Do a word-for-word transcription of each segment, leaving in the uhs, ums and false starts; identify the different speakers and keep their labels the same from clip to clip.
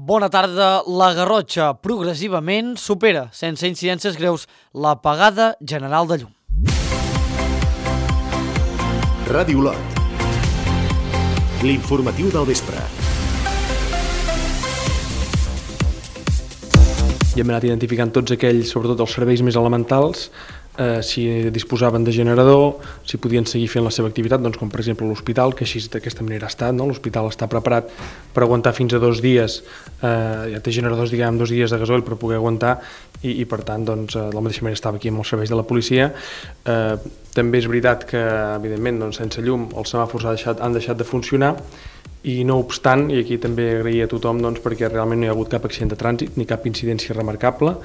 Speaker 1: Bona tarda. La Garrotxa progressivament supera, sense incidències greus, l'apagada general de llum.
Speaker 2: Ràdio Olot. L'informatiu del vespre.
Speaker 3: I hem anat identificant tots aquells, sobretot els serveis més elementals, eh, si disposaven de generador, si podien seguir fent la seva activitat, doncs com per exemple l'hospital, que així d'aquesta manera ha estat, no? L'hospital està preparat per aguantar fins a dos dies, eh, ja té generadors, diguem, dos dies de gasoil per poder aguantar i, i per tant, doncs, de la mateixa manera estava aquí amb els serveis de la policia. Eh, també és veritat que, evidentment, doncs, sense llum els semàfors han deixat, han deixat de funcionar, i no obstant, i aquí també agrair a tothom doncs, perquè realment no hi ha hagut cap accident de trànsit ni cap incidència remarcable.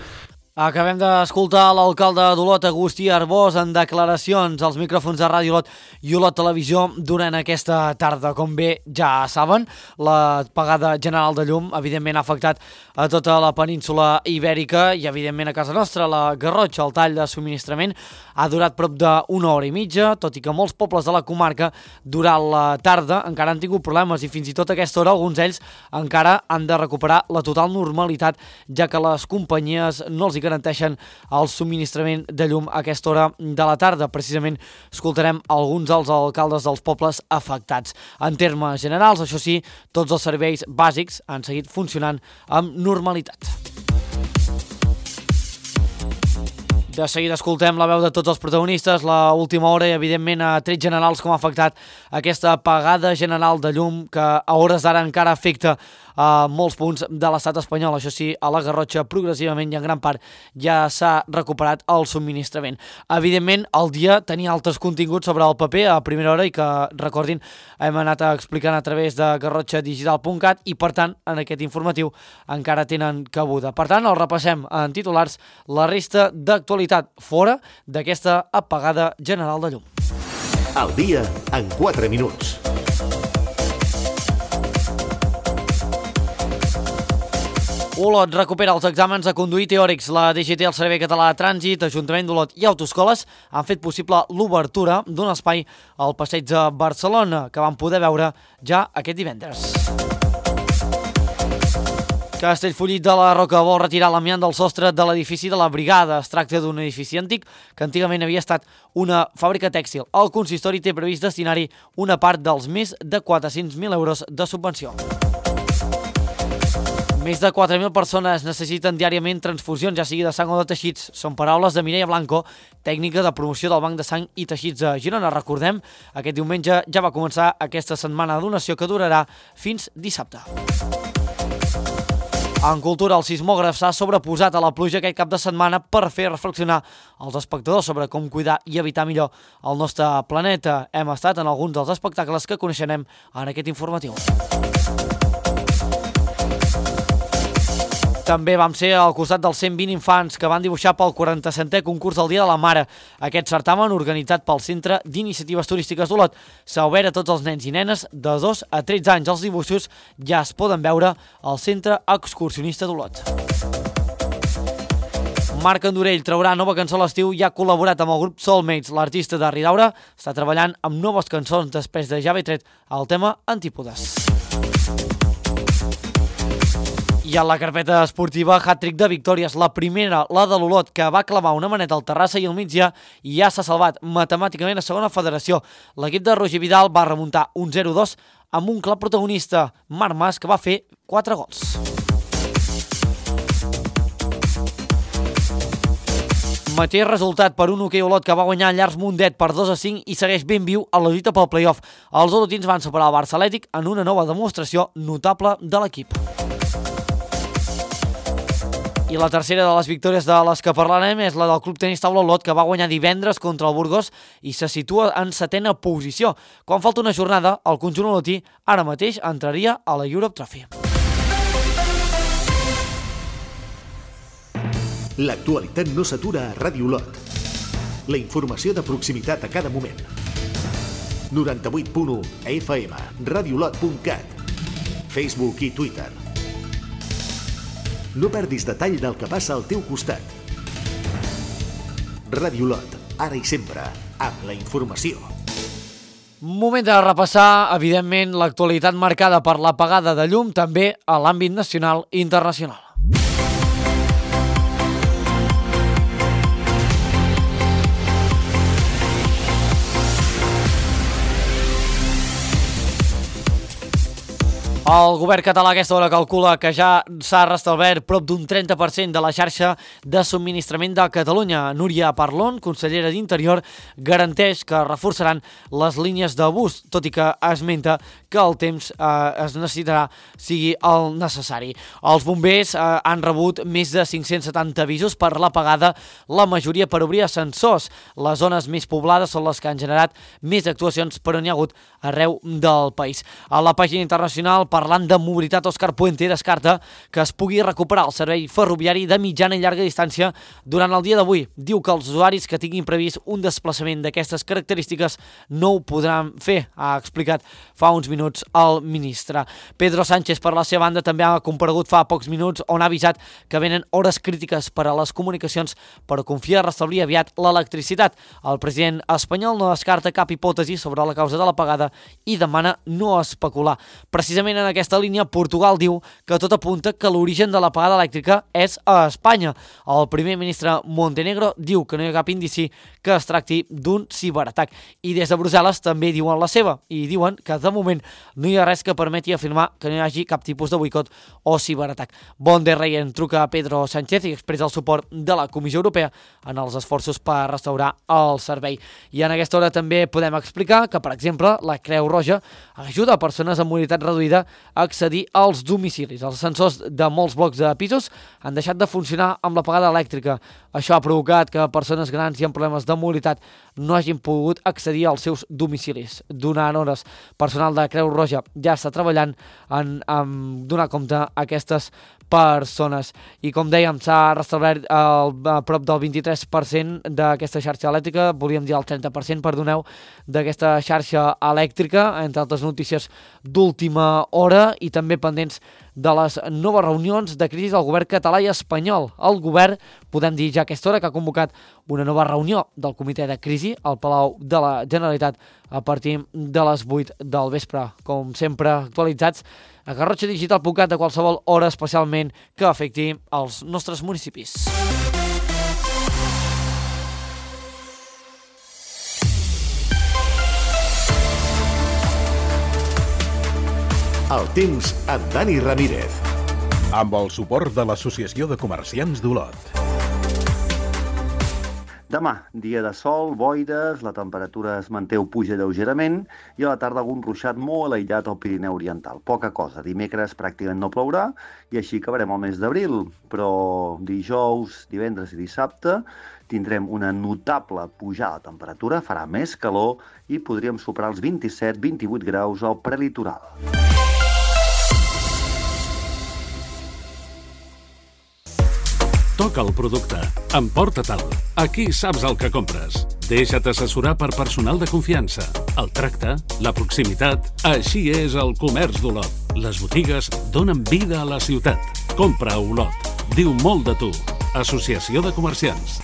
Speaker 1: Acabem d'escoltar l'alcalde d'Olot, Agustí Arbós, en declaracions als micròfons de Ràdio Olot i Olot Televisió durant aquesta tarda. Com bé ja saben, l'apagada general de llum evidentment ha afectat a tota la península ibèrica i evidentment a casa nostra. La Garrotxa, el tall de subministrament, ha durat prop d'una hora i mitja, tot i que molts pobles de la comarca durant la tarda encara han tingut problemes i fins i tot a aquesta hora alguns d'ells encara han de recuperar la total normalitat, ja que les companyies no els hi garanteixen el subministrament de llum a aquesta hora de la tarda. Precisament escoltarem alguns dels alcaldes dels pobles afectats. En termes generals, això sí, tots els serveis bàsics han seguit funcionant amb normalitat. De seguida escoltem la veu de tots els protagonistes, la última hora i evidentment a trets generals com ha afectat aquesta apagada general de llum que a hores d'ara encara afecta a molts punts de l'estat espanyol. Això sí, a la Garrotxa progressivament i en gran part ja s'ha recuperat el subministrament. Evidentment, el dia tenia altres continguts sobre el paper a primera hora i que, recordin, hem anat explicant a través de garrotxa digital punt cat i, per tant, en aquest informatiu encara tenen cabuda. Per tant, el repassem en titulars la resta d'actualitat fora d'aquesta apagada general de llum.
Speaker 2: El dia en quatre minuts.
Speaker 1: Olot recupera els exàmens de conduir teòrics. La D G T, el Servei Català de Trànsit, Ajuntament d'Olot i Autoescoles han fet possible l'obertura d'un espai al Passeig de Barcelona, que vam poder veure ja aquest divendres. Castellfollit de la Roca vol retirar l'amiant del sostre de l'edifici de la Brigada. Es tracta d'un edifici antic que antigament havia estat una fàbrica tèxtil. El consistori té previst destinar-hi una part dels més de quatre-cents mil euros de subvenció. Més de quatre mil persones necessiten diàriament transfusions, ja sigui de sang o de teixits. Són paraules de Mireia Blanco, tècnica de promoció del Banc de Sang i Teixits de Girona. Recordem, aquest diumenge ja va començar aquesta setmana de donació que durarà fins dissabte. En cultura, el sismògraf s'ha sobreposat a la pluja aquest cap de setmana per fer reflexionar els espectadors sobre com cuidar i evitar millor el nostre planeta. Hem estat en alguns dels espectacles que coneixerem en aquest informatiu. També vam ser al costat dels cent vint infants que van dibuixar pel quaranta-setè concurs del Dia de la Mare. Aquest certamen, organitzat pel Centre d'Iniciatives Turístiques d'Olot, s'ha obert a tots els nens i nenes de dos a tretze anys. Els dibuixos ja es poden veure al Centre Excursionista d'Olot. Marc Andorell traurà nova cançó a l'estiu i ha col·laborat amb el grup Soulmates. L'artista de Ridaura està treballant amb noves cançons després de ja haver tret el tema Antípodes. I a la carpeta esportiva, hat-trick de victòries. La primera, la de l'Olot, que va clavar una maneta al Terrassa i al migdia i ja s'ha salvat matemàticament a segona federació. L'equip de Roger Vidal va remuntar un zero dos amb un clar protagonista, Marc Mas, que va fer quatre gols. Mateix resultat per un hoquei Olot que va guanyar Llars Mundet per dos a cinc i segueix ben viu a la lluita pel play-off. Els olotins van superar el Barça Atlètic en una nova demostració notable de l'equip. I la tercera de les victòries de les que parlarem és la del Club Tenis Taula Olot, que va guanyar divendres contra el Burgos i se situa en setena posició. Quan falta una jornada, el conjunt olotí ara mateix entraria a la Europe Trophy.
Speaker 2: L'actualitat no s'atura a Ràdio Olot. La informació de proximitat a cada moment. noranta-vuit punt u F M, radiolot punt cat, Facebook i Twitter. No perdis detall del que passa al teu costat. Ràdio Olot, ara i sempre, amb la informació.
Speaker 1: Moment de repassar, evidentment, l'actualitat marcada per l'apagada de llum també a l'àmbit nacional i internacional. El govern català a aquesta hora calcula que ja s'ha restablert prop d'un trenta per cent de la xarxa de subministrament de Catalunya. Núria Parlon, consellera d'Interior, garanteix que reforçaran les línies de bus, tot i que esmenta que el temps eh, es necessitarà sigui el necessari. Els bombers eh, han rebut més de cinc-cents setanta avisos per l'apagada, la majoria per obrir ascensors. Les zones més poblades són les que han generat més actuacions, però n'hi ha hagut arreu del país. A la pàgina internacional, parlant de mobilitat, Òscar Puente descarta que es pugui recuperar el servei ferroviari de mitjana i llarga distància durant el dia d'avui. Diu que els usuaris que tinguin previst un desplaçament d'aquestes característiques no ho podran fer, ha explicat fa uns minuts el ministre. Pedro Sánchez, per la seva banda, també ha comparegut fa pocs minuts on ha avisat que venen hores crítiques per a les comunicacions, però confia a restablir aviat l'electricitat. El president espanyol no descarta cap hipòtesi sobre la causa de l'apagada i demana no especular. Precisament en aquesta línia, Portugal diu que tot apunta que l'origen de l'apagada elèctrica és a Espanya. El primer ministre Montenegro diu que no hi ha cap indici que es tracti d'un ciberatac. I des de Brussel·les també diuen la seva i diuen que de moment no hi ha res que permeti afirmar que no hi hagi cap tipus de boicot o ciberatac. Von der Leyen truca a Pedro Sánchez i expressa el suport de la Comissió Europea en els esforços per restaurar el servei. I en aquesta hora també podem explicar que, per exemple, la Creu Roja ajuda a persones amb mobilitat reduïda a accedir als domicilis. Els ascensors de molts blocs de pisos han deixat de funcionar amb l'apagada elèctrica. Això ha provocat que persones grans i amb problemes de mobilitat no hagin pogut accedir als seus domicilis. Donant hores, personal de Creu Roja ja està treballant en, en donar compte a aquestes persones. I com dèiem, s'ha restablert el, a prop del vint-i-tres per cent d'aquesta xarxa elèctrica, volíem dir el trenta per cent, perdoneu, d'aquesta xarxa elèctrica, entre altres notícies d'última hora i també pendents de les noves reunions de crisi del govern català i espanyol. El govern, podem dir ja a aquesta hora, que ha convocat una nova reunió del comitè de crisi al Palau de la Generalitat a partir de les vuit del vespre. Com sempre, actualitzats a garrotxa digital punt cat de qualsevol hora, especialment que afecti els nostres municipis.
Speaker 2: El temps amb Dani Ramírez.
Speaker 4: Amb el suport de l'Associació de Comerciants d'Olot.
Speaker 5: Demà, dia de sol, boires, la temperatura es manté o puja lleugerament i a la tarda algun ruixat molt aïllat al Pirineu Oriental. Poca cosa. Dimecres pràcticament no plourà i així acabarem el mes d'abril. Però dijous, divendres i dissabte tindrem una notable pujada de temperatura, farà més calor i podríem superar els vint-i-set a vint-i-vuit graus al prelitoral.
Speaker 6: Toca el producte. Emporta-te'l. Aquí saps el que compres. Deixa't assessorar per personal de confiança. El tracte, la proximitat... Així és el comerç d'Olot. Les botigues donen vida a la ciutat. Compra a Olot. Diu molt de tu. Associació de Comerciants.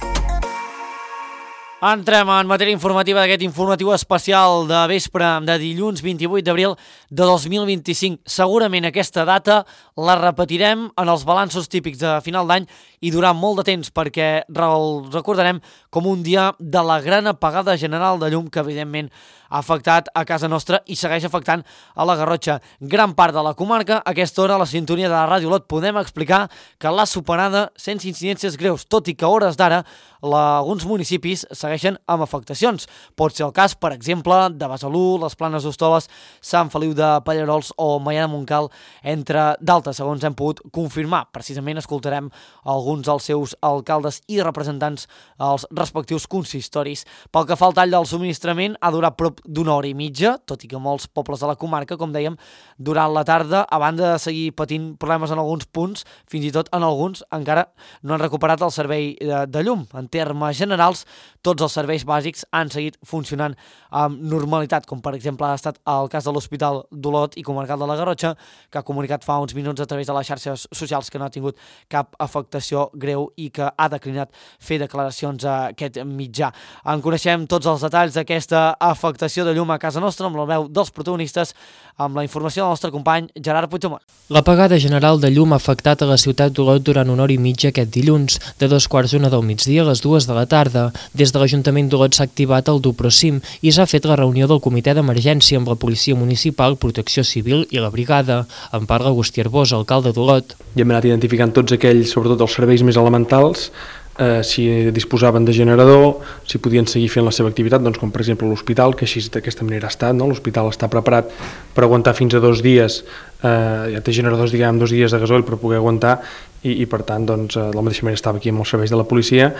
Speaker 1: Entrem en matèria informativa d'aquest informatiu especial de vespre de dilluns vint-i-vuit d'abril de dos mil vint-i-cinc. Segurament aquesta data la repetirem en els balanços típics de final d'any i durant molt de temps, perquè el recordarem com un dia de la gran apagada general de llum que evidentment ha afectat a casa nostra i segueix afectant a la Garrotxa. Gran part de la comarca, a aquesta hora a la sintonia de la Ràdio Olot podem explicar que l'ha superada sense incidències greus, tot i que a hores d'ara alguns municipis segueixen amb afectacions. Pot ser el cas, per exemple, de Besalú, les Planes d'Hostoles, Sant Feliu de Pallerols o Maià de Montcal, entre d'altres, segons hem pogut confirmar. Precisament escoltarem alguns dels seus alcaldes i representants als respectius consistoris. Pel que fa al tall del subministrament, ha durat prop d'una hora i mitja, tot i que molts pobles de la comarca, com dèiem, durant la tarda, a banda de seguir patint problemes en alguns punts, fins i tot en alguns encara no han recuperat el servei de, de llum. En termes generals, tots tots els serveis bàsics han seguit funcionant amb normalitat, com per exemple ha estat el cas de l'Hospital d'Olot i Comarcal de la Garrotxa, que ha comunicat fa uns minuts a través de les xarxes socials que no ha tingut cap afectació greu i que ha declinat fer declaracions a aquest mitjà. En coneixem tots els detalls d'aquesta afectació de llum a casa nostra amb la veu dels protagonistes, amb la informació del nostre company Gerard Puigdemont.
Speaker 7: L'apagada general de llum ha afectat a la ciutat d'Olot durant una hora i mitja aquest dilluns, de dos quarts d'una del migdia a les dues de la tarda. Des de l'Ajuntament d'Olot s'ha activat el Duprosim i s'ha fet la reunió del comitè d'emergència amb la Policia Municipal, Protecció Civil i la Brigada. En parla Agustí Arbós, alcalde d'Olot.
Speaker 3: I hem anat identificant tots aquells, sobretot els serveis més elementals, eh, si disposaven de generador, si podien seguir fent la seva activitat, doncs com per exemple l'hospital, que així d'aquesta manera ha estat, no? L'hospital està preparat per aguantar fins a dos dies, eh, ja té generadors, diguem, dos dies de gasoil per poder aguantar, i, i per tant, doncs, de la mateixa manera estava aquí amb els serveis de la policia.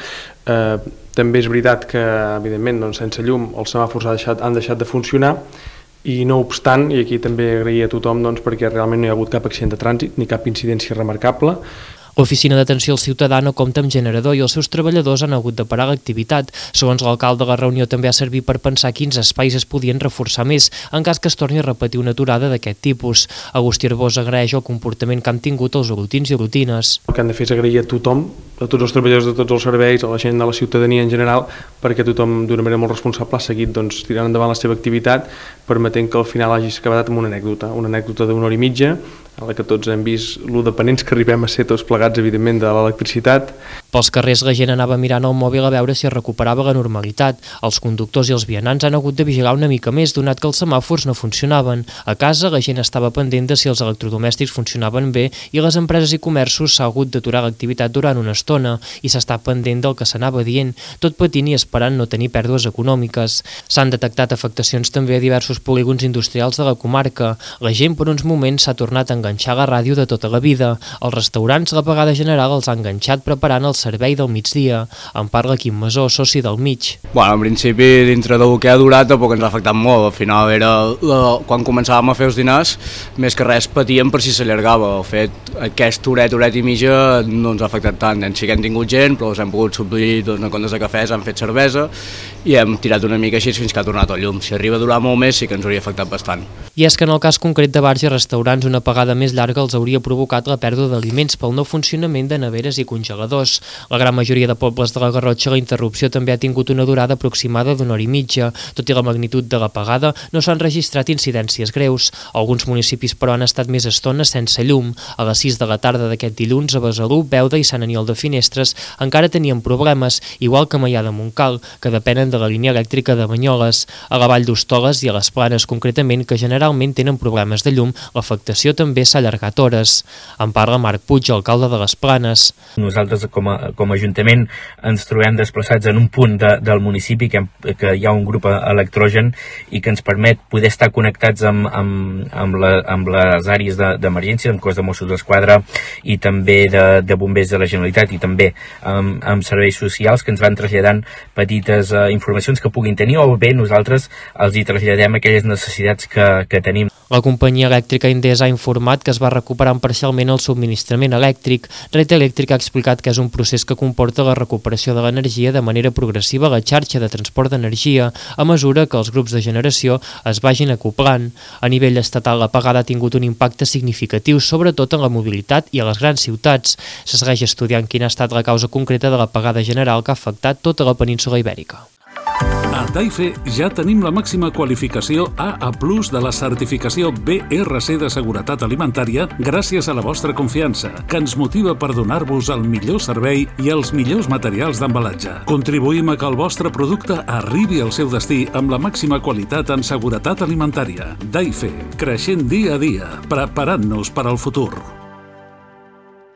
Speaker 3: Eh, també és veritat que, evidentment, doncs, sense llum els semàfors han deixat, han deixat de funcionar, i no obstant, i aquí també agrair a tothom doncs, perquè realment no hi ha hagut cap accident de trànsit ni cap incidència remarcable.
Speaker 7: L'Oficina d'Atenció al Ciutadà no compta amb generador i els seus treballadors han hagut de parar l'activitat. Segons l'alcalde, la reunió també ha servit per pensar quins espais es podien reforçar més en cas que es torni a repetir una aturada d'aquest tipus. Agustí Arbós agraeix el comportament que han tingut els olotins i olotines.
Speaker 3: El que han de fer és agrair a tothom, a tots els treballadors de tots els serveis, a la gent de la ciutadania en general, perquè tothom d'una manera molt responsable ha seguit doncs, tirant endavant la seva activitat, permetent que al final hagi acabat amb una anècdota, una anècdota d'una hora i mitja, en la que tots hem vist lo dependents que arribem a ser tots plegats, evidentment, de l'electricitat.
Speaker 7: Pels carrers la gent anava mirant el mòbil a veure si es recuperava la normalitat. Els conductors i els vianants han hagut de vigilar una mica més, donat que els semàfors no funcionaven. A casa la gent estava pendent de si els electrodomèstics funcionaven bé i les empreses i comerços s'ha hagut d'aturar l'activitat durant una estona i s'està pendent del que s'anava dient, tot patint i esperant no tenir pèrdues econòmiques. S'han detectat afectacions també a diversos polígons industrials de la comarca. La gent per uns moments s'ha tornat a enganxar la ràdio de tota la vida. Els restaurants l'apagada general els ha enganxat preparant el servei del migdia. En parla Quim Masó, soci del Mig.
Speaker 8: Bueno, en principi, dintre del que ha durat, tampoc ens ha afectat molt. Al final, era la, quan començàvem a fer els dinars, més que res patíem per si s'allargava. El fet, aquest horet, horet i mitja no ens ha afectat tant. En sí que hem tingut gent, però els hem pogut suplir doncs, en comptes de cafès, han fet cervesa i hem tirat una mica així fins que ha tornat el llum. Si arriba a durar molt més, sí que ens hauria afectat bastant.
Speaker 7: I és que en el cas concret de bars i restaurants, una apagada més llarga els hauria provocat la pèrdua d'aliments pel no funcionament de neveres i congeladors. La gran majoria de pobles de la Garrotxa, la interrupció també ha tingut una durada aproximada d'una hora i mitja. Tot i la magnitud de l'apagada, no s'han registrat incidències greus. Alguns municipis, però, han estat més estona sense llum. A les sis de la tarda d'aquest dilluns, a Besalú, Beuda i Sant Aniol de Finestres encara tenien problemes, igual que a Maià de Montcal, que depenen de la línia elèctrica de Banyoles. A la Vall d'Hostoles i a les Planes, concretament, que generalment tenen problemes de llum, l'afectació també s'ha allargat hores. En parla Marc Puig, alcalde de les Planes.
Speaker 9: Nosaltres com a, com a Ajuntament ens trobem desplaçats en un punt de, del municipi que, que hi ha un grup electrogen i que ens permet poder estar connectats amb, amb, amb, la, amb les àrees d'emergència, de, amb cos de Mossos d'Esquadra i també de, de bombers de la Generalitat i també amb, amb serveis socials que ens van traslladant petites uh, informacions que puguin tenir o bé nosaltres els hi traslladem aquelles necessitats que, que tenim.
Speaker 7: La companyia elèctrica Endesa ha informat que es va recuperant parcialment el subministrament elèctric. Red Eléctrica ha explicat que és un procés que comporta la recuperació de l'energia de manera progressiva a la xarxa de transport d'energia a mesura que els grups de generació es vagin acoplant. A nivell estatal, l'apagada ha tingut un impacte significatiu, sobretot en la mobilitat i a les grans ciutats. Se segueix estudiant quina ha estat la causa concreta de l'apagada general que ha afectat tota la península Ibèrica.
Speaker 6: A Taife ja tenim la màxima qualificació A A plus de la certificació B R C de seguretat alimentària gràcies a la vostra confiança, que ens motiva per donar-vos el millor servei i els millors materials d'embalatge. Contribuïm a que el vostre producte arribi al seu destí amb la màxima qualitat en seguretat alimentària. Taife, creixent dia a dia, preparant-nos per al futur.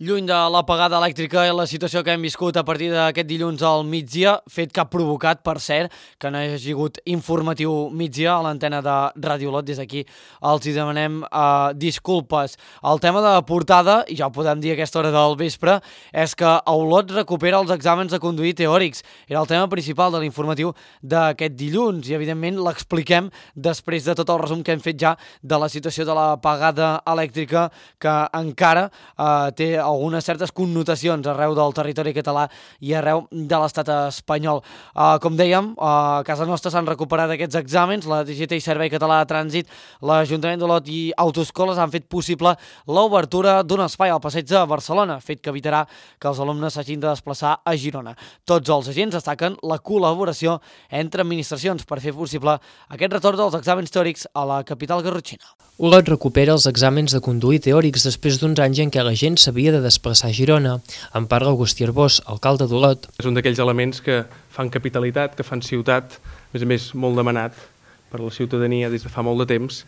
Speaker 1: Lluny de l'apagada elèctrica i la situació que hem viscut a partir d'aquest dilluns al migdia, fet que ha provocat, per cert, que no hi hagi hagut informatiu migdia a l'antena de Ràdio Olot. Des d'aquí els hi demanem uh, disculpes. El tema de portada, i ja ho podem dir a aquesta hora del vespre, és que Olot recupera els exàmens de conduir teòrics. Era el tema principal de l'informatiu d'aquest dilluns i, evidentment, l'expliquem després de tot el resum que hem fet ja de la situació de l'apagada elèctrica que encara uh, té algunes certes connotacions arreu del territori català i arreu de l'estat espanyol. Uh, com dèiem, uh, a casa nostra s'han recuperat aquests exàmens, la D G T i Servei Català de Trànsit, l'Ajuntament d'Olot i Autoescoles han fet possible l'obertura d'un espai al passeig de Barcelona, fet que evitarà que els alumnes s'hagin de desplaçar a Girona. Tots els agents destaquen la col·laboració entre administracions per fer possible aquest retorn dels exàmens teòrics a la capital garrotxina.
Speaker 7: Olot recupera els exàmens de conduir teòrics després d'uns anys en què la gent s'havia de desplaçar a Girona. En parla Agustí Arbós, alcalde d'Olot.
Speaker 3: És un d'aquells elements que fan capitalitat, que fan ciutat, a més a més molt demanat per la ciutadania des de fa molt de temps,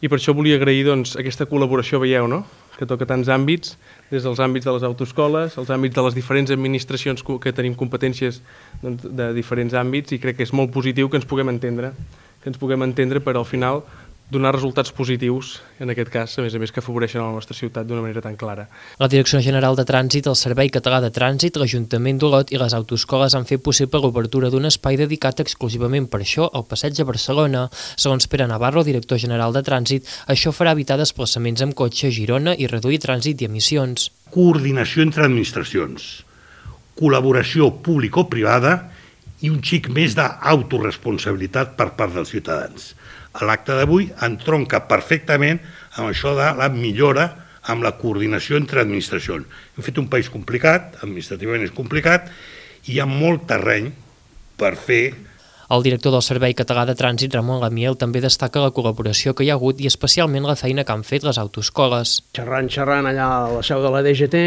Speaker 3: i per això volia agrair doncs, aquesta col·laboració, veieu, no?, que toca tants àmbits, des dels àmbits de les autoescoles, els àmbits de les diferents administracions que tenim competències doncs, de diferents àmbits, i crec que és molt positiu que ens puguem entendre, que ens puguem entendre per al final donar resultats positius, en aquest cas, a més a més, que afavoreixen a la nostra ciutat d'una manera tan clara.
Speaker 7: La Direcció General de Trànsit, el Servei Català de Trànsit, l'Ajuntament d'Olot i les autoescoles han fet possible l'obertura d'un espai dedicat exclusivament per això al passeig de Barcelona. Segons Pere Navarro, director general de Trànsit, això farà evitar desplaçaments amb cotxe a Girona i reduir trànsit i emissions.
Speaker 10: Coordinació entre administracions, col·laboració público-privada i un xic més d'autoresponsabilitat per part dels ciutadans. L'acte d'avui entronca perfectament amb això de la millora amb la coordinació entre administracions. Hem fet un país complicat, administrativament és complicat, i hi ha molt terreny per fer.
Speaker 7: El director del Servei Català de Trànsit, Ramon Lamiel, també destaca la col·laboració que hi ha hagut i especialment la feina que han fet les autoescoles.
Speaker 11: Xerrant, xerrant allà a la seu de la D G T,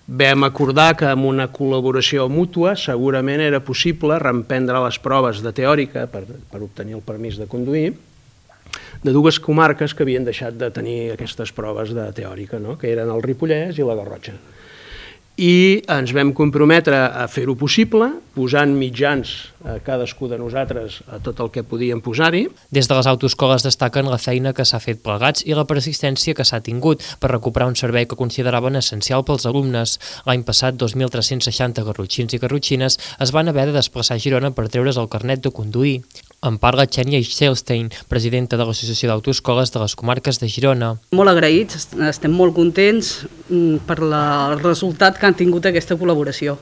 Speaker 11: vam acordar que amb una col·laboració mútua segurament era possible reemprendre les proves de teòrica per, per obtenir el permís de conduir de dues comarques que havien deixat de tenir aquestes proves de teòrica, no?, que eren el Ripollès i la Garrotxa. I ens vam comprometre a fer-ho possible, posant mitjans a cadascú de nosaltres a tot el que podíem posar-hi.
Speaker 7: Des de les autoescoles destaquen la feina que s'ha fet plegats i la persistència que s'ha tingut per recuperar un servei que consideraven essencial pels alumnes. L'any passat, dos mil tres-cents seixanta garrotxins i garrotxines es van haver de desplaçar a Girona per treure's el carnet de conduir. En parla Xènia Ixelstein, presidenta de l'Associació d'Autoescoles de les Comarques de Girona.
Speaker 12: Molt agraïts, estem molt contents per el resultat que han tingut aquesta col·laboració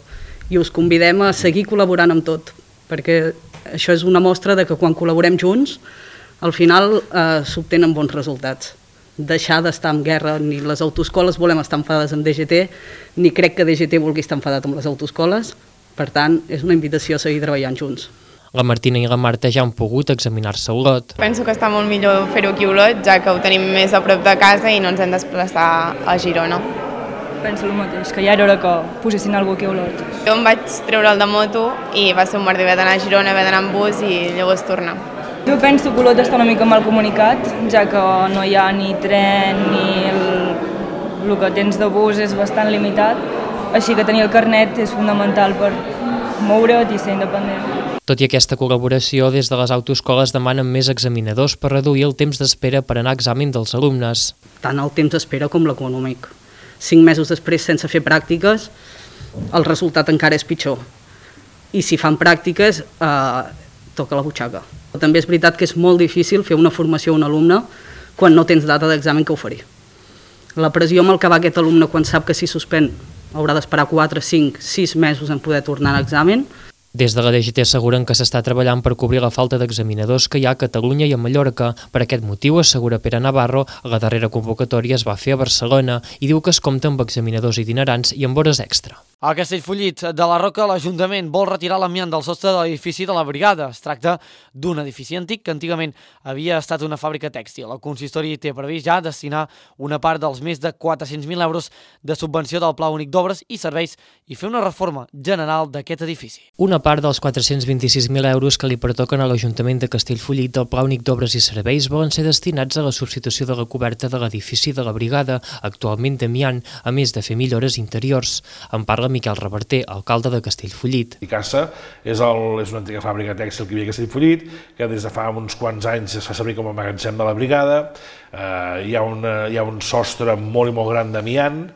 Speaker 12: i us convidem a seguir col·laborant amb tot, perquè això és una mostra de que quan col·laborem junts al final eh, s'obtenen bons resultats. Deixar d'estar en guerra, ni les autoescoles volem estar enfadades amb D G T, ni crec que D G T vulgui estar enfadat amb les autoescoles, per tant és una invitació a seguir treballant junts.
Speaker 7: La Martina i la Marta ja han pogut examinar-se a Olot.
Speaker 13: Penso que està molt millor fer-ho aquí a Olot, ja que ho tenim més a prop de casa i no ens hem de desplaçar a Girona.
Speaker 14: Penso el mateix, que ja era hora que posessin algú aquí a Olot.
Speaker 13: Jo em vaig treure el de moto i va ser un merder, haver d'anar a Girona, haver d'anar amb bus i llavors tornar.
Speaker 14: Jo penso que Olot està una mica mal comunicat, ja que no hi ha ni tren ni el, el que tens de bus és bastant limitat, així que tenir el carnet és fonamental per moure't i ser independent.
Speaker 7: Tot i aquesta col·laboració, des de les autoescoles demanen més examinadors per reduir el temps d'espera per anar a examen dels alumnes.
Speaker 12: Tant el temps d'espera com l'econòmic. Cinc mesos després, sense fer pràctiques, el resultat encara és pitjor. I si fan pràctiques, eh, toca la butxaca. També és veritat que és molt difícil fer una formació a un alumne quan no tens data d'examen que oferir. La pressió amb el que va aquest alumne quan sap que si suspèn haurà d'esperar quatre, cinc, sis mesos en poder tornar a l'examen.
Speaker 7: Des de la D G T asseguren que s'està treballant per cobrir la falta d'examinadors que hi ha a Catalunya i a Mallorca. Per aquest motiu, assegura Pere Navarro, la darrera convocatòria es va fer a Barcelona i diu que es compta amb examinadors itinerants i amb hores extra.
Speaker 1: A Castellfollit de la Roca, l'Ajuntament vol retirar l'amiant del sostre de l'edifici de la Brigada. Es tracta d'un edifici antic que antigament havia estat una fàbrica tèxtil. El consistori té previst ja destinar una part dels més de quatre-cents mil euros de subvenció del Pla Únic d'Obres i Serveis i fer una reforma general d'aquest edifici.
Speaker 7: Una part dels quatre-cents vint-i-sis mil euros que li pertoquen a l'Ajuntament de Castellfollit del Pla Únic d'Obres i Serveis volen ser destinats a la substitució de la coberta de l'edifici de la Brigada, actualment d'amiant, a més de fer millores interiors. En parla Miquel Reverter, alcalde de Castellfollit.
Speaker 15: Icasa és, el, és una antiga fàbrica tèxtil que hi havia a Castellfollit, que des de fa uns quants anys es fa servir com a magatzem de la Brigada. Eh, hi, ha una, hi ha un sostre molt i molt gran d'amiant,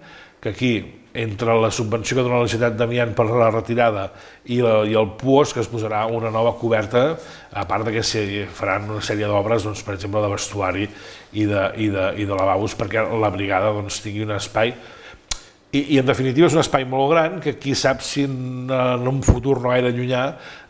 Speaker 15: que aquí, entre la subvenció que dona la Generalitat d'amiant per la retirada i, la, i el P U O S, que es posarà una nova coberta, a part que s'hi faran una sèrie d'obres, doncs, per exemple, de vestuari i de, i de, i de lavabos, perquè la Brigada doncs, tingui un espai I, i en definitiva és un espai molt gran que qui sap si en, en un futur no gaire llunyà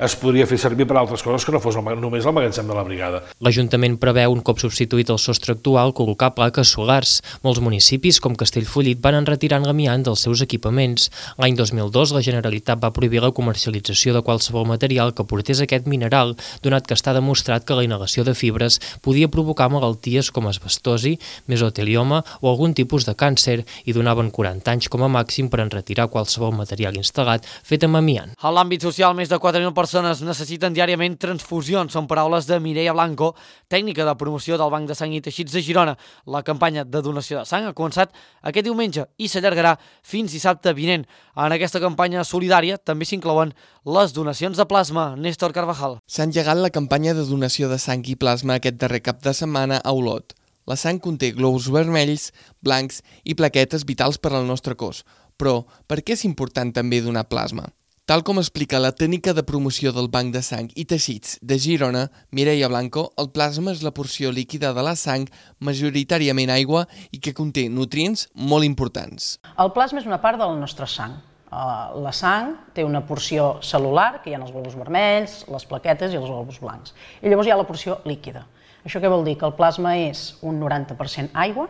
Speaker 15: es podria fer servir per altres coses que no fos el, només el magatzem de la brigada.
Speaker 7: L'Ajuntament preveu, un cop substituït el sostre actual, col·locar plaques solars. Molts municipis, com Castellfollit, van enretirant l'amiant dels seus equipaments. L'any dos mil dos, la Generalitat va prohibir la comercialització de qualsevol material que portés aquest mineral, donat que està demostrat que la inhalació de fibres podia provocar malalties com asbestosi, mesotelioma o algun tipus de càncer, i donaven quaranta anys com a màxim per enretirar qualsevol material instal·lat fet amb amiant.
Speaker 1: A l'àmbit social, més de quatre mil persones necessiten diàriament transfusions. Són paraules de Mireia Blanco, tècnica de promoció del Banc de Sang i Teixits de Girona. La campanya de donació de sang ha començat aquest diumenge i s'allargarà fins dissabte vinent. En aquesta campanya solidària també s'inclouen les donacions de plasma. Néstor Carvajal.
Speaker 16: S'ha engegat la campanya de donació de sang i plasma aquest darrer cap de setmana a Olot. La sang conté glòbuls vermells, blancs i plaquetes vitals per al nostre cos. Però, per què és important també donar plasma? Tal com explica la tècnica de promoció del Banc de Sang i Teixits de Girona, Mireia Blanco, el plasma és la porció líquida de la sang, majoritàriament aigua, i que conté nutrients molt importants.
Speaker 17: El plasma és una part de la nostra sang. La sang té una porció cel·lular, que hi ha els glòbuls vermells, les plaquetes i els glòbuls blancs. I llavors hi ha la porció líquida. Això què vol dir? Que el plasma és un noranta per cent aigua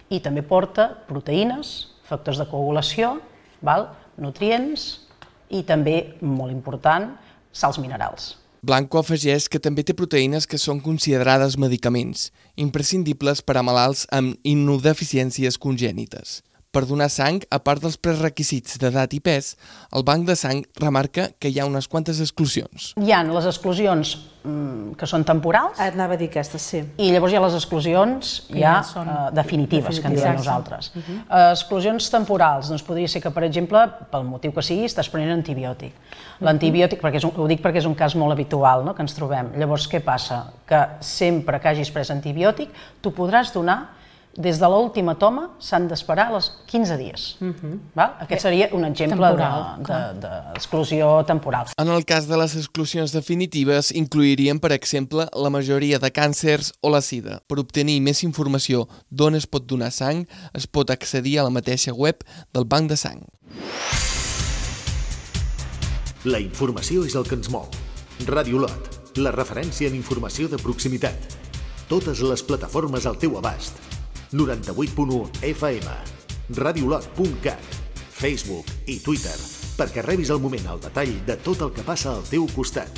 Speaker 17: i també porta proteïnes, factors de coagulació, val? Nutrients i també, molt important, sals minerals.
Speaker 16: Blanco afegeix que també té proteïnes que són considerades medicaments, imprescindibles per a malalts amb immunodeficiències congènites. Per donar sang, a part dels prerequisits d'edat i pes, el Banc de Sang remarca que hi ha unes quantes exclusions.
Speaker 17: Hi ha les exclusions mm, que són temporals.
Speaker 18: Anava a dir aquestes, sí.
Speaker 17: I llavors hi ha les exclusions ja, ja són uh, definitives, definitives, que en diem nosaltres. Uh -huh. uh, exclusions temporals, doncs podria ser que, per exemple, pel motiu que sigui, estàs prenent antibiòtic. L'antibiòtic, perquè és un, ho dic perquè és un cas molt habitual, no?, que ens trobem. Llavors, què passa? Que sempre que hagis pres antibiòtic, tu podràs donar. Des de l'última toma s'han d'esperar els quinze dies. Uh-huh. Val? Aquest seria un exemple d'exclusió de, de temporal.
Speaker 16: En el cas de les exclusions definitives, inclourien, per exemple, la majoria de càncers o la sida. Per obtenir més informació d'on es pot donar sang, es pot accedir a la mateixa web del Banc de Sang.
Speaker 2: La informació és el que ens mou. Ràdio Olot, la referència en informació de proximitat. Totes les plataformes al teu abast. noranta-vuit punt u F M, radiolot punt cat, Facebook i Twitter, perquè rebis al moment el detall de tot el que passa al teu costat.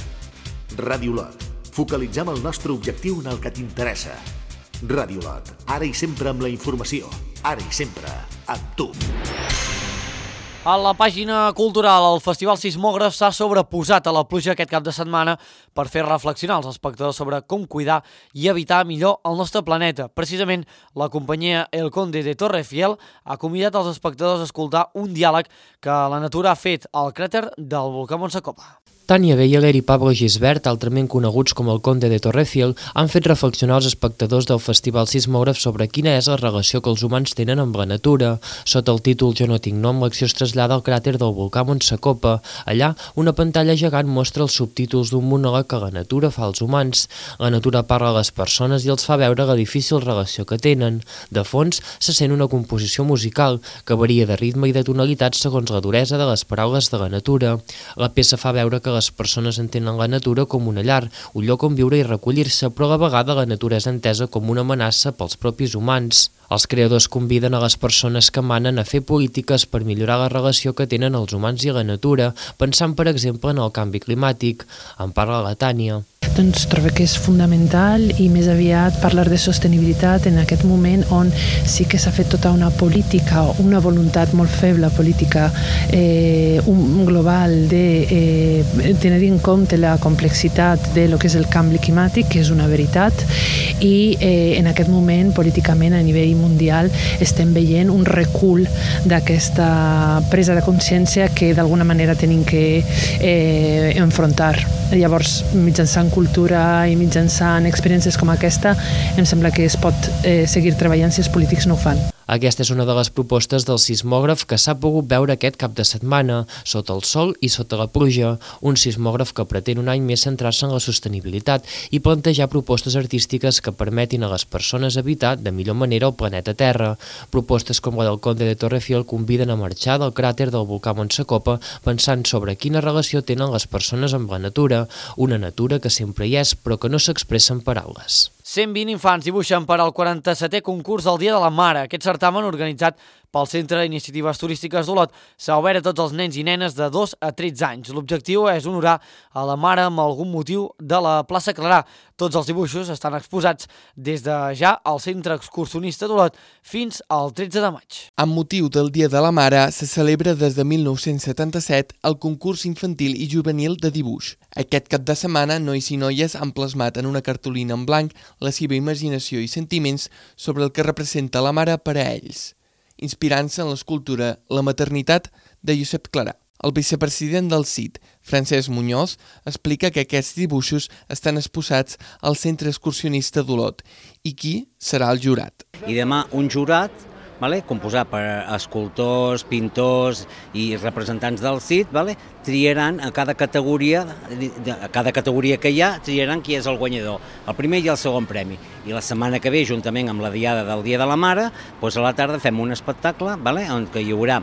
Speaker 2: Ràdio Olot, focalitzem el nostre objectiu en el que t'interessa. Ràdio Olot, ara i sempre amb la informació, ara i sempre amb tu.
Speaker 1: A la pàgina cultural, el Festival Sismògraf s'ha sobreposat a la pluja aquest cap de setmana per fer reflexionar els espectadors sobre com cuidar i evitar millor el nostre planeta. Precisament, la companyia El Conde de Torrefiel ha convidat els espectadors a escoltar un diàleg que la natura ha fet al cràter del volcà Montsacopa.
Speaker 7: Tània Beyeler i Pablo Gisbert, altrament coneguts com el Conde de Torrefiel, han fet reflexionar els espectadors del Festival Sismògraf sobre quina és la relació que els humans tenen amb la natura. Sota el títol Jo no tinc nom, l'acció es trasllada al cràter del volcà Montsacopa. Allà, una pantalla gegant mostra els subtítols d'un monòleg que la natura fa als humans. La natura parla a les persones i els fa veure la difícil relació que tenen. De fons, se sent una composició musical que varia de ritme i de tonalitat segons la duresa de les paraules de la natura. La peça fa veure que les persones entenen la natura com una llar, un lloc on viure i recollir-se, però a la vegada la natura és entesa com una amenaça pels propis humans. Els creadors conviden a les persones que manen a fer polítiques per millorar la relació que tenen els humans i la natura, pensant, per exemple, en el canvi climàtic. En parla la Tània.
Speaker 19: Doncs trobo que és fundamental i més aviat parlar de sostenibilitat en aquest moment on sí que s'ha fet tota una política, una voluntat molt feble política eh, un global de eh, tenir en compte la complexitat de lo que és el canvi climàtic, que és una veritat, i eh, en aquest moment políticament a nivell mundial estem veient un recul d'aquesta presa de consciència que d'alguna manera tenim que eh, enfrontar. Llavors, mitjançant cultura i mitjançant experiències com aquesta, em sembla que es pot eh, seguir treballant si els polítics no ho fan.
Speaker 7: Aquesta és una de les propostes del sismògraf que s'ha pogut veure aquest cap de setmana, sota el sol i sota la pluja, un sismògraf que pretén un any més centrar-se en la sostenibilitat i plantejar propostes artístiques que permetin a les persones habitar de millor manera el planeta Terra. Propostes com la del Conde de Torrefiel conviden a marxar del cràter del volcà Montsecopa pensant sobre quina relació tenen les persones amb la natura, una natura que sempre hi és però que no s'expressa en paraules.
Speaker 1: cent vint infants dibuixen per al quaranta-setè concurs del Dia de la Mare. Aquest certamen, organitzat pel Centre d'Iniciatives Turístiques d'Olot, s'ha obert a tots els nens i nenes de dos a tretze anys. L'objectiu és honorar a la mare amb algun motiu de la plaça Clarà. Tots els dibuixos estan exposats des de ja al Centre Excursionista d'Olot fins al tretze de maig.
Speaker 16: Amb motiu del Dia de la Mare, se celebra des de mil nou-cents setanta-set el concurs infantil i juvenil de dibuix. Aquest cap de setmana, nois i noies han plasmat en una cartolina en blanc la seva imaginació i sentiments sobre el que representa la mare per a ells, inspirant-se en l'escultura La maternitat de Josep Clarà. El vicepresident del C I T, Francesc Muñoz, explica que aquests dibuixos estan exposats al Centre Excursionista d'Olot i qui serà el jurat.
Speaker 18: I demà un jurat vale, composat per escultors, pintors i representants del C I T, vale, triaran a cada categoria, a cada categoria que hi ha, triaran qui és el guanyador, el primer i el segon premi. I la setmana que ve, juntament amb la diada del Dia de la Mare, doncs a la tarda fem un espectacle vale, on hi haurà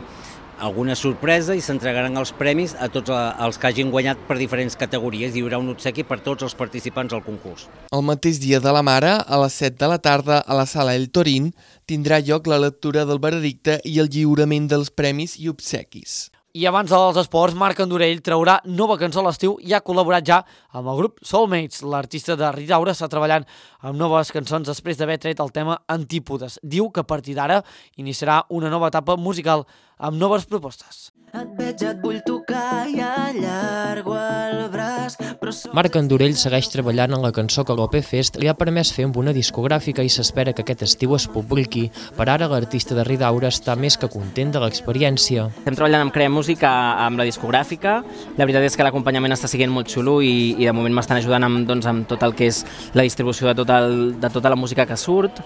Speaker 18: alguna sorpresa i s'entregaran els premis a tots els que hagin guanyat per diferents categories. Hi haurà un obsequi per tots els participants al concurs.
Speaker 16: El mateix Dia de la Mare, a les set de la tarda, a la Sala El Torín, tindrà lloc la lectura del veredicte i el lliurament dels premis i obsequis.
Speaker 1: I abans dels esports, Marc Andorell traurà nova cançó a l'estiu i ha col·laborat ja amb el grup Soulmates. L'artista de Ridaura està treballant amb noves cançons després d'haver tret el tema Antípodes. Diu que a partir d'ara iniciarà una nova etapa musical amb noves propostes.
Speaker 20: Et veig, et vull tocar i allargo el braç, però...
Speaker 7: Marc Andorell segueix treballant en la cançó que l'O P Fest li ha permès fer amb una discogràfica i s'espera que aquest estiu es publiqui. Per ara, l'artista de Ridaura està més que content de l'experiència.
Speaker 21: Estem treballant amb Crea Música, amb la discogràfica. La veritat és que l'acompanyament està sent molt xulo i, i de moment m'estan ajudant amb, doncs, amb tot el que és la distribució de, tot el, de tota la música que surt,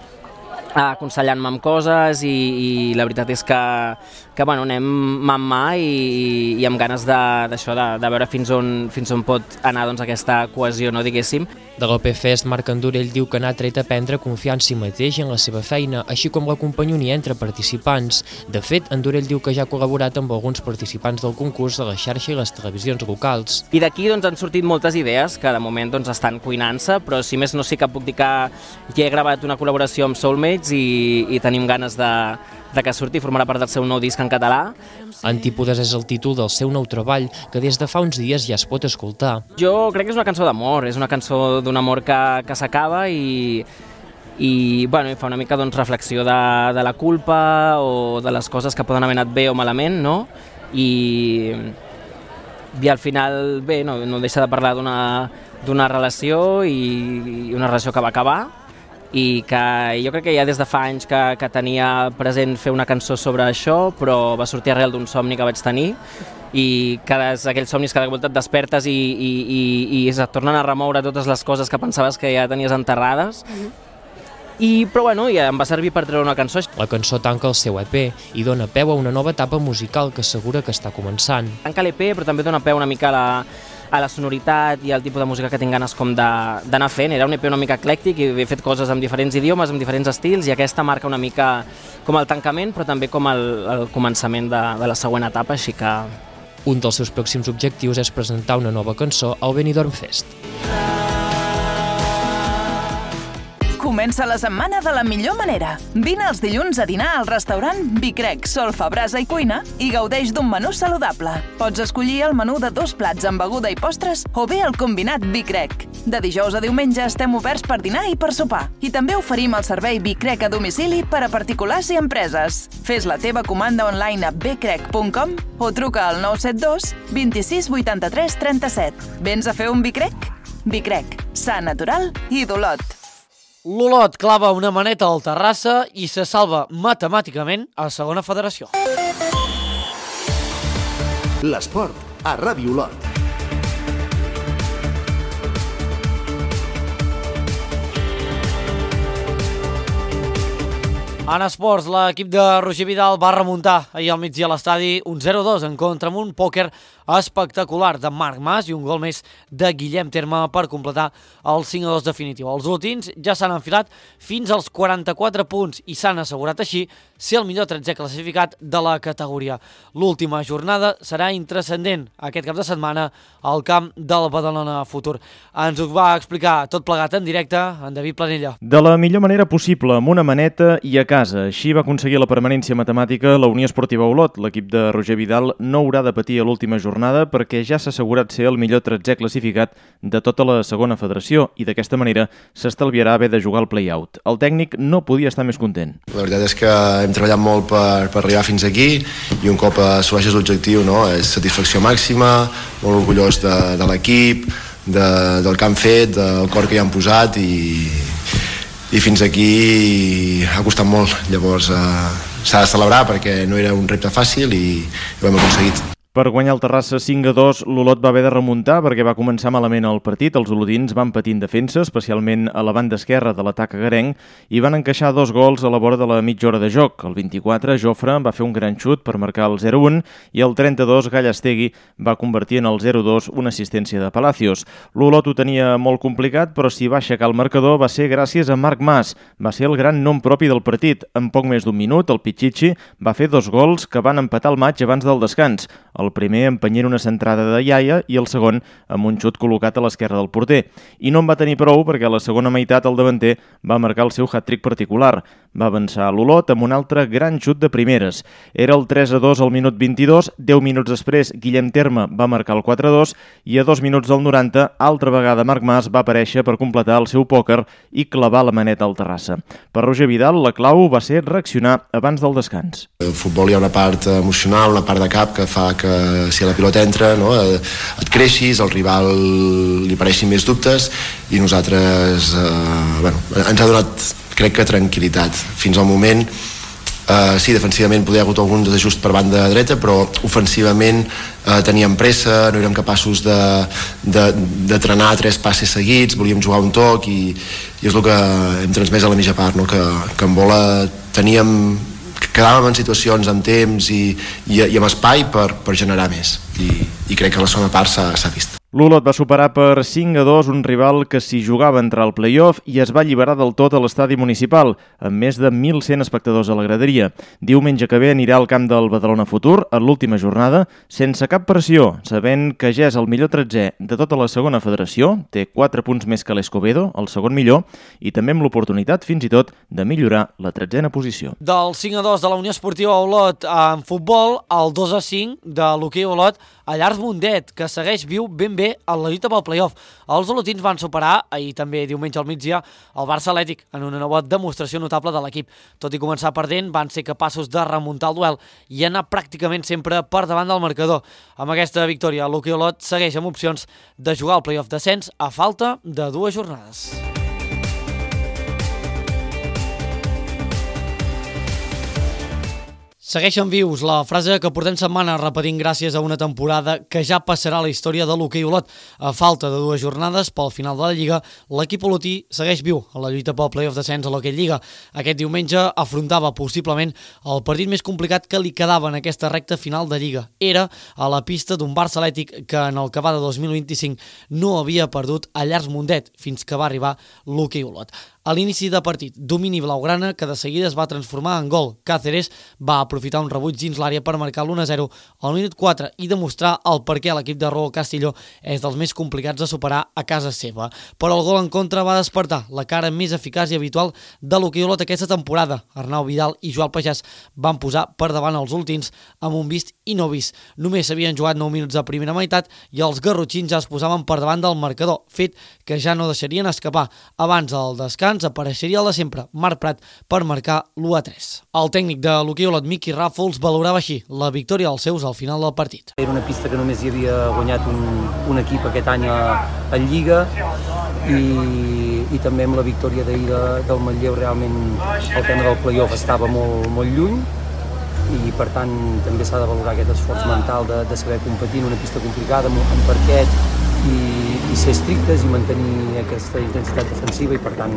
Speaker 21: aconsellant-me amb coses i, i la veritat és que, que bueno, anem mà en mà i, i amb ganes d'això, de, de, de veure fins on, fins on pot anar doncs, aquesta cohesió, no diguéssim.
Speaker 7: De l'O P Fest, Marc Andorell diu que n'ha tret a aprendre a confiar en si mateix i en la seva feina, així com la companyonia entre participants. De fet, Andorell diu que ja ha col·laborat amb alguns participants del concurs de la xarxa i les televisions locals.
Speaker 21: I d'aquí doncs, han sortit moltes idees que de moment doncs, estan cuinant-se, però si més no sí que puc dir que ja he gravat una col·laboració amb Soulmates i, i tenim ganes de, de que surti, formarà part del seu nou disc en català.
Speaker 7: Antípodes és el títol del seu nou treball, que des de fa uns dies ja es pot escoltar.
Speaker 21: Jo crec que és una cançó d'amor, és una cançó d'un amor que, que s'acaba i, i bueno, fa una mica doncs, reflexió de, de la culpa o de les coses que poden haver anat bé o malament, no? I, i al final, bé, no, no deixa de parlar d'una relació i, i una relació que va acabar, i que jo crec que ja des de fa anys que, que tenia present fer una cançó sobre això, però va sortir arrel d'un somni que vaig tenir i cada, aquells somnis cada volta et despertes i, i, i, i es tornen a remoure totes les coses que pensaves que ja tenies enterrades. I, però bueno, ja em va servir per treure una cançó.
Speaker 7: La cançó tanca el seu E P i dona peu a una nova etapa musical que assegura que està començant.
Speaker 21: Tanca l'E P, però també dona peu una mica a la, a la sonoritat i al tipus de música que tinc ganes com d'anar fent. Era un E P una mica eclèctic i he fet coses amb diferents idiomes, amb diferents estils, i aquesta marca una mica com el tancament, però també com el, el començament de, de la següent etapa, així que...
Speaker 7: Un dels seus pròxims objectius és presentar una nova cançó al Benidorm Fest.
Speaker 22: Comença la setmana de la millor manera. Vine els dilluns a dinar al restaurant Bicrec, Solfa, Brasa i Cuina i gaudeix d'un menú saludable. Pots escollir el menú de dos plats amb beguda i postres o bé el combinat Bicrec. De dijous a diumenge estem oberts per dinar i per sopar. I també oferim el servei Bicrec a domicili per a particulars i empreses. Fes la teva comanda online a becrec punt com o truca al nou set dos, vint-i-sis, vuitanta-tres, trenta-set. Vens a fer un Bicrec? Bicrec, sa, natural i d'Olot.
Speaker 1: L'Olot clava una maneta al Terrassa i se salva matemàticament a segona federació.
Speaker 2: L'esport a Ràdio Olot.
Speaker 1: En esports, l'equip de Roger Vidal va remuntar ahir al migdia a l'estadi un zero dos en contra amb un pòquer espectacular de Marc Mas i un gol més de Guillem Terme per completar el cinc a dos definitiu. Els olotins ja s'han enfilat fins als quaranta-quatre punts i s'han assegurat així ser el millor tretzè classificat de la categoria. L'última jornada serà intranscendent aquest cap de setmana al camp del Badalona Futur. Ens ho va explicar tot plegat en directe en David Planella.
Speaker 4: De la millor manera possible, amb una maneta i a casa. Així va aconseguir la permanència matemàtica la Unió Esportiva Olot. L'equip de Roger Vidal no haurà de patir a l'última jornada perquè ja s'ha assegurat ser el millor tretzè classificat de tota la segona federació i d'aquesta manera s'estalviarà haver de jugar al play-out. El tècnic no podia estar més content.
Speaker 5: La veritat és que hem treballat molt per, per arribar fins aquí i un cop assoleixes l'objectiu, no, és satisfacció màxima, molt orgullós de, de l'equip, de, del que han fet, del cor que hi han posat i, i fins aquí ha costat molt. Llavors eh, s'ha de celebrar perquè no era un repte fàcil i, i ho hem aconseguit.
Speaker 4: Per guanyar el Terrassa cinc a dos, l'Olot va haver de remuntar perquè va començar malament el partit. Els olotins van patir en defensa, especialment a la banda esquerra de l'atac agarenc, i van encaixar dos gols a la vora de la mitja hora de joc. El vint-i-quatre, Jofre va fer un gran xut per marcar el zero un i el trenta-dos, Gallastegui va convertir en el zero dos una assistència de Palacios. L'Olot ho tenia molt complicat, però si va aixecar el marcador va ser gràcies a Marc Mas. Va ser el gran nom propi del partit. En poc més d'un minut, el Pichichi va fer dos gols que van empatar el maig abans del descans. El primer empenyent una centrada de Iaia i el segon amb un xut col·locat a l'esquerra del porter. I no en va tenir prou perquè a la segona meitat el davanter va marcar el seu hat-trick particular. Va avançar l'Olot amb un altre gran xut de primeres. Era el tres a dos al minut vint-i-dos, deu minuts després Guillem Terme va marcar el quatre a dos i a dos minuts del noranta, altra vegada Marc Mas va aparèixer per completar el seu pòquer i clavar la maneta al Terrassa. Per Roger Vidal, la clau va ser reaccionar abans del descans.
Speaker 5: El futbol hi ha una part emocional, una part de cap que fa que si la pilota entra, no, et creixis, al rival li apareixin més dubtes i nosaltres eh, bueno, ens ha donat, crec que, tranquil·litat. Fins al moment, eh, sí, defensivament podia haver hagut algun desajust per banda dreta, però ofensivament eh, teníem pressa, no érem capaços de, de, de trenar tres passes seguits, volíem jugar un toc i, i és el que hem transmès a la mitja part, no? que, que en bola teníem quedàvem en situacions amb temps i, i, i amb espai per, per generar més i, i crec que la segona part s'ha vist.
Speaker 4: L'Olot va superar per cinc a dos un rival que s'hi jugava a entrar al play-off i es va alliberar del tot a l'estadi municipal, amb més de mil cent espectadors a la graderia. Diumenge que ve anirà al camp del Badalona Futur, a l'última jornada, sense cap pressió, sabent que ja és el millor tretzè de tota la segona federació, té quatre punts més que l'Escobedo, el segon millor, i també amb l'oportunitat, fins i tot, de millorar la tretzena posició.
Speaker 1: Del cinc a dos de la Unió Esportiva Olot en futbol, el dos a cinc de l'hoquei Olot a Llars Mundet, que segueix viu ben bé en la lluita pel play-off. Els olotins van superar, ahir també diumenge al migdia, el Barça Atlètic en una nova demostració notable de l'equip. Tot i començar perdent, van ser capaços de remuntar el duel i anar pràcticament sempre per davant del marcador. Amb aquesta victòria, l'hoquei Olot segueix amb opcions de jugar al play-off descens a falta de dues jornades. Segueixen vius la frase que portem setmana repetint gràcies a una temporada que ja passarà a la història de l'hoquei Olot. A falta de dues jornades pel final de la Lliga, l'equip olotí segueix viu a la lluita pel play-off descens a l'hoquei Lliga. Aquest diumenge afrontava possiblement el partit més complicat que li quedava en aquesta recta final de Lliga. Era a la pista d'un Barça Atlètic que en el que va de dos mil vint-i-cinc no havia perdut a Llars Mundet fins que va arribar l'hoquei Olot. A l'inici de partit, domini blaugrana que de seguida es va transformar en gol. Cáceres va aprofitar un rebuig dins l'àrea per marcar l'u a zero al minut quatre i demostrar el per què l'equip de Raúl Castillo és dels més complicats de superar a casa seva. Però el gol en contra va despertar la cara més eficaç i habitual de l'hoquei Olot aquesta temporada. Arnau Vidal i Joan Pagès van posar per davant els últims amb un vist i no vist. Només s'havien jugat nou minuts de primera meitat i els garrotxins ja es posaven per davant del marcador, fet que ja no deixarien escapar. Abans del descans apareixeria el de sempre, Marc Prat, per marcar l'u a tres. El tècnic de l'hoquei Olot, Miqui Ràfols, valorava així la victòria dels seus al final del partit.
Speaker 23: Era una pista que només hi havia guanyat un, un equip aquest any a, a Lliga i, i també amb la victòria d'ahir de, del Manlleu realment el tema del play-off estava molt, molt lluny i per tant també s'ha de valorar aquest esforç mental de, de saber competir en una pista complicada amb, amb parquet i, i ser estrictes i mantenir aquesta intensitat defensiva i per tant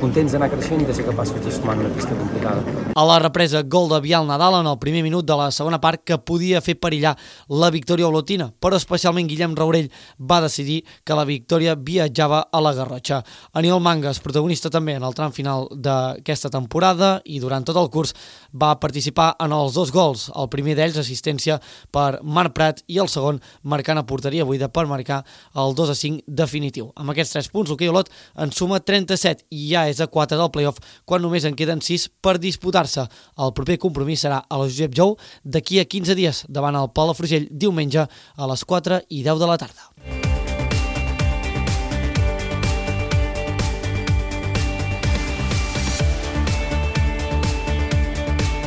Speaker 23: contents d'anar creixent i de ser capaços de sumar en una pista complicada.
Speaker 1: A la represa, gol de Biel Nadal en el primer minut de la segona part que podia fer perillar la victòria olotina, però especialment Guillem Raurell va decidir que la victòria viatjava a la Garrotxa. Aniol Mangas, protagonista també en el tram final d'aquesta temporada i durant tot el curs va participar en els dos gols, el primer d'ells assistència per Marc Prat i el segon marcant a porteria buida per marcar el dos a cinc definitiu. Amb aquests tres punts, l'Hoquei Olot en suma trenta-set i ja és a quatre del play-off quan només en queden sis per disputar-se. El proper compromís serà a la Josep Jou d'aquí a quinze dies davant el Palafrugell diumenge a les quatre i deu de la tarda.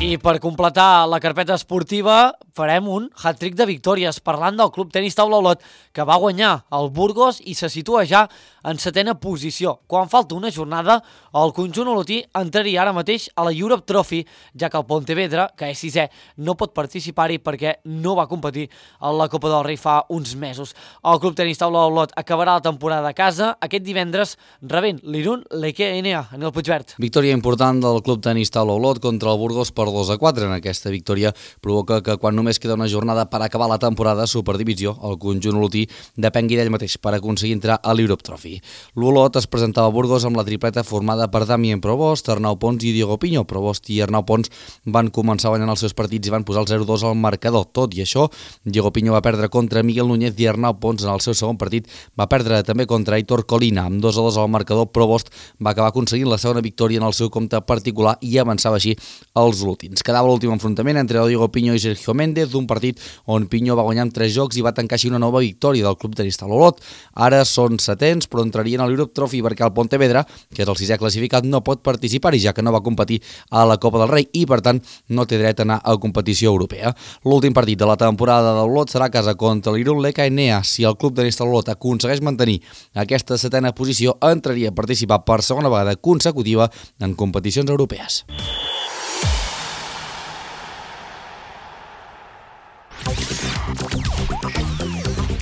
Speaker 1: I per completar la carpeta esportiva farem un hat-trick de victòries parlant del Club Tenis Taula Olot que va guanyar el Burgos i se situa ja en setena posició. Quan falta una jornada, el conjunt olotí entraria ara mateix a la Europe Trophy, ja que el Pontevedra, que és sisè, no pot participar-hi perquè no va competir a la Copa del Rei fa uns mesos. El Club Tenis Taula Olot acabarà la temporada a casa aquest divendres rebent l'Irun Leke N A en el Puigverd.
Speaker 6: Victòria important del Club Tenis Taula Olot contra el Burgos per dos a quatre. En aquesta victòria provoca que quan només queda una jornada per acabar la temporada a Superdivisió, el conjunt olotí depengui d'ell mateix per aconseguir entrar a l'Europe Trophy. L'Olot es presentava a Burgos amb la tripleta formada per Damien Provost, Arnau Pons i Diego Piño. Provost i Arnau Pons van començar guanyant els seus partits i van posar el zero dos al marcador. Tot i això, Diego Piño va perdre contra Miguel Núñez i Arnau Pons en el seu segon partit va perdre també contra Aitor Colina. Amb dos a dos al marcador, Provost va acabar aconseguint la segona victòria en el seu compte particular i avançava així als olotins. Quedava l'últim enfrontament entre Diego Piño i Sergio Méndez, un partit on Piño va guanyar amb tres jocs i va tancar així una nova victòria del Club Tenis Taula Olot. Ara són setens, però entrarien a l'Europe Trophy perquè el Pontevedra, que és el sisè classificat, no pot participar-hi, ja que no va competir a la Copa del Rei i, per tant, no té dret a anar a competició europea. L'últim partit de la temporada de l'Olot serà a casa contra l'Irun Leke N A. Si el Club Tenis Taula Olot aconsegueix mantenir aquesta setena posició, entraria a participar per segona vegada consecutiva en competicions europees.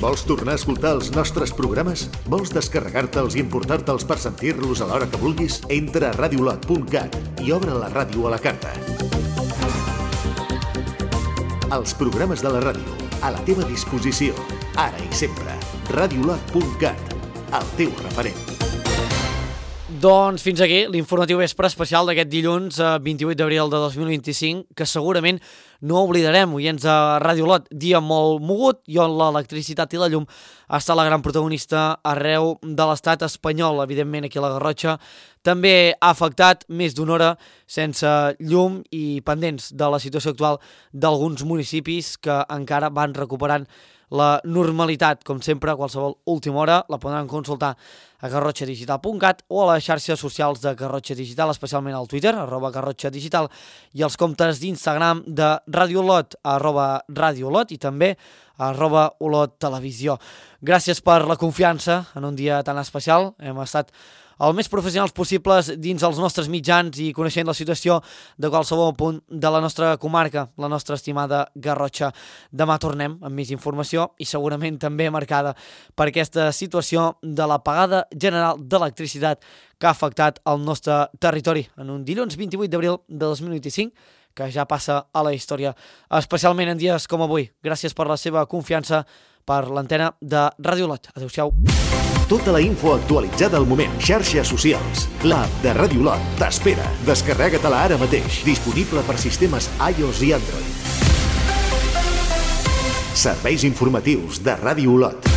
Speaker 2: Vols tornar a escoltar els nostres programes? Vols descarregar-te'ls i importar-te'ls per sentir-los a l'hora que vulguis? Entra a radiolot punt cat i obre la ràdio a la carta. Els programes de la ràdio, a la teva disposició, ara i sempre. radiolot punt cat, el teu referent.
Speaker 1: Doncs fins aquí l'informatiu vespre especial d'aquest dilluns vint-i-vuit d'abril de dos mil vint-i-cinc, que segurament no oblidarem, oients de Ràdio Olot, dia molt mogut i on l'electricitat i la llum està la gran protagonista arreu de l'estat espanyol. Evidentment aquí a la Garrotxa també ha afectat més d'una hora sense llum i pendents de la situació actual d'alguns municipis que encara van recuperant la normalitat. Com sempre, a qualsevol última hora la podran consultar a garrotxa digital punt cat o a les xarxes socials de Garrotxa Digital, especialment al Twitter, arroba Garrotxa Digital, i els comptes d'Instagram de Ràdio Olot, arroba Ràdio Olot, i també arroba Olot Televisió. Gràcies per la confiança en un dia tan especial. Hem estat el més professionals possibles dins els nostres mitjans i coneixent la situació de qualsevol punt de la nostra comarca, la nostra estimada Garrotxa. Demà tornem amb més informació i segurament també marcada per aquesta situació de l'apagada general d'electricitat que ha afectat el nostre territori en un dilluns vint-i-vuit d'abril de dos mil vint-i-cinc, que ja passa a la història, especialment en dies com avui. Gràcies per la seva confiança per l'antena de Ràdio Olot. Adéu-siau.
Speaker 2: Tota la info actualitzada al moment. Xarxes socials. L'app de Ràdio Olot t'espera. Descarrega-te-la ara mateix. Disponible per sistemes iOS i Android. Serveis informatius de Ràdio Olot.